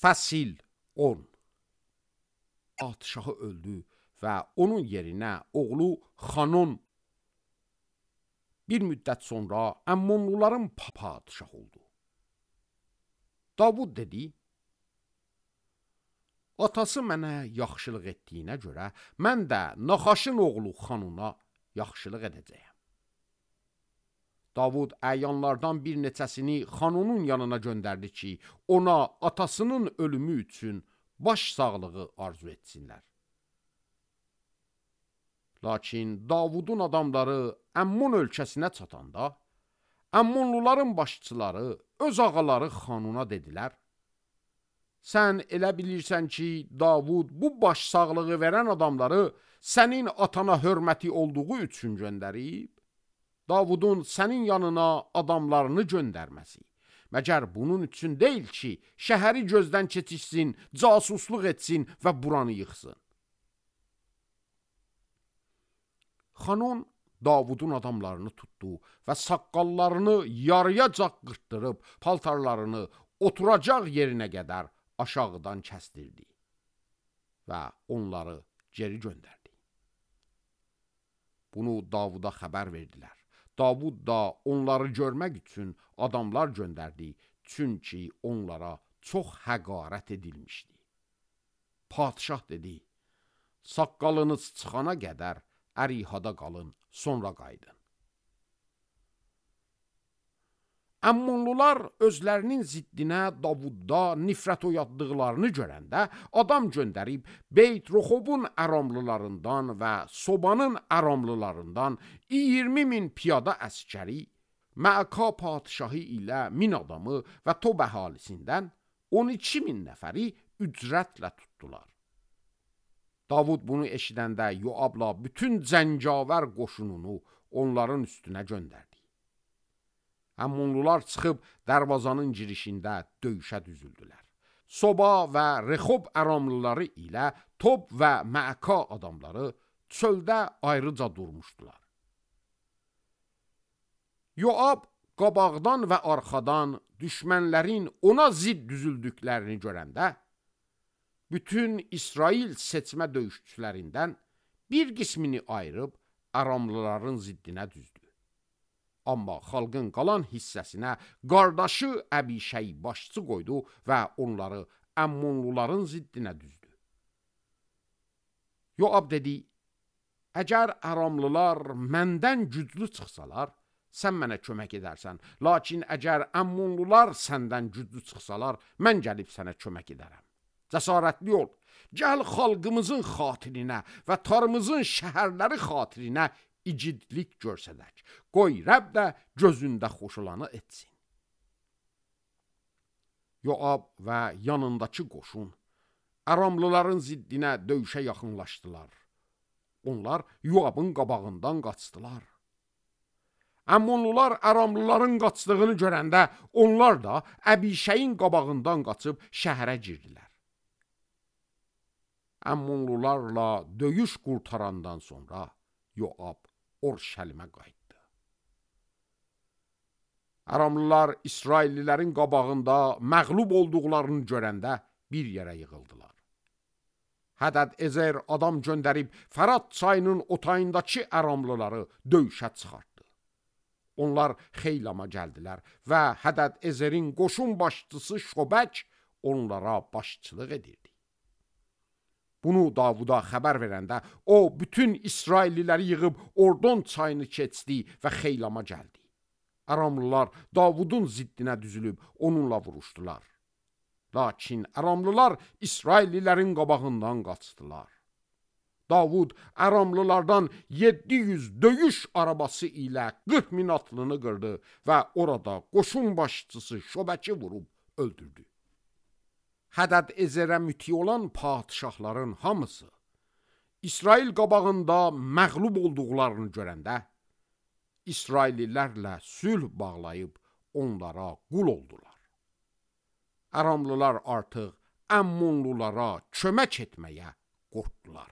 Fəsil 10. Padişahı öldü və onun yerinə oğlu Xanon bir müddət sonra Əmmonluların padişahı oldu. Davud dedi, atası mənə yaxşılıq etdiyinə görə mən də Naxaşın oğlu Xanona yaxşılıq edəcəyəm. Davud əyanlardan bir neçəsini Xanonun yanına göndərdi ki, ona atasının ölümü üçün baş sağlığı arzu etsinlər. Lakin Davudun adamları Əmmon ölkəsinə çatanda, Əmmonluların başçıları öz ağaları Xanuna dedilər, sən elə bilirsən ki, Davud bu baş sağlığı verən adamları sənin atana hörməti olduğu üçün göndərib, Davudun sənin yanına adamlarını göndərməsi, məgər bunun üçün deyil ki, şəhəri gözdən keçirsin, casusluq etsin və buranı yıxsın. Xanon Davudun adamlarını tutdu və saqqallarını yarıyacan qırtdırıb, paltarlarını oturacaq yerinə qədər aşağıdan kəsdirdi və onları geri göndərdi. Bunu Davuda xəbər verdilər. Davud da onları görmək üçün adamlar göndərdi, çünki onlara çox həqarət edilmişdi. Padişah dedi, saqqalınız çıxana qədər ərihada qalın, sonra qayıdın. Əmmonlular özlərinin ziddinə Davudda nifrət oyatdıqlarını görəndə adam göndərib Beyt-Roxobun Əramlılarından və Sobanın Əramlılarından 20.000 piyada əskəri, Məaka padişahı ilə 1000 adamı və Tob əhalisindən 12.000 nəfəri ücrətlə tutdular. Davud bunu eşidəndə Yoabla bütün cəngavər qoşununu onların üstünə göndərdi. Əmmonlular çıxıb dərvazanın girişində döyüşə düzüldülər. Soba və Rexob əramlıları ilə Tob və Məaka adamları çöldə ayrıca durmuşdular. Yoab qabaqdan və arxadan düşmənlərin ona zidd düzüldüklərini görəndə, bütün İsrail seçmə döyüşçülərindən bir qismini ayırıb əramlıların ziddinə düzdü. Amma xalqın qalan hissəsinə qardaşı Əbişəy başçı qoydu və onları Əmmonluların ziddinə düzdü. Yoab dedi, əgər Əramlılar məndən güclü çıxsalar, sən mənə kömək edərsən, lakin əgər Əmmonlular səndən güclü çıxsalar, mən gəlib sənə kömək edərəm. Cəsarətli ol, gəl xalqımızın xatirinə və tarımızın şəhərləri xatirinə igidlik görsədək. Qoy Rəbb də gözündə xoşulanı etsin. Yoab və yanındakı qoşun Əramlıların ziddinə döyüşə yaxınlaşdılar. Onlar Yoabın qabağından qaçdılar. Əmmonlular Əramlıların qaçdığını görəndə onlar da Əbişəyin qabağından qaçıb şəhərə girdilər. Əmmonlularla döyüş qurtarandan sonra Yoab Orşəlimə qayıtdı. Əramlılar İsraillilərin qabağında məğlub olduqlarını görəndə bir yerə yığıldılar. Hədəd Ezer adam göndərib Fərat çayının otayındakı Əramlıları döyüşə çıxartdı. Onlar Xeylama gəldilər və Hədəd Ezer'in qoşun başçısı Şobək onlara başçılıq edirdi. Bunu Davuda xəbər verəndə o bütün İsrailliləri yığıb Ordon çayını keçdi və Xeylama gəldi. Əramlılar Davudun ziddinə düzülüb onunla vuruşdular. Lakin Əramlılar İsraillilərin qabağından qaçdılar. Davud Əramlılardan 700 döyüş arabası ilə 40.000 atlını qırdı və orada qoşun başçısı Şobəki vurub öldürdü. Hədəd Ezerə müti olan padişahların hamısı İsrail qabağında məğlub olduqlarını görəndə İsraillilərlə sülh bağlayıb onlara qul oldular. Əramlılar artıq Əmmonlulara kömək etməyə qorxdular.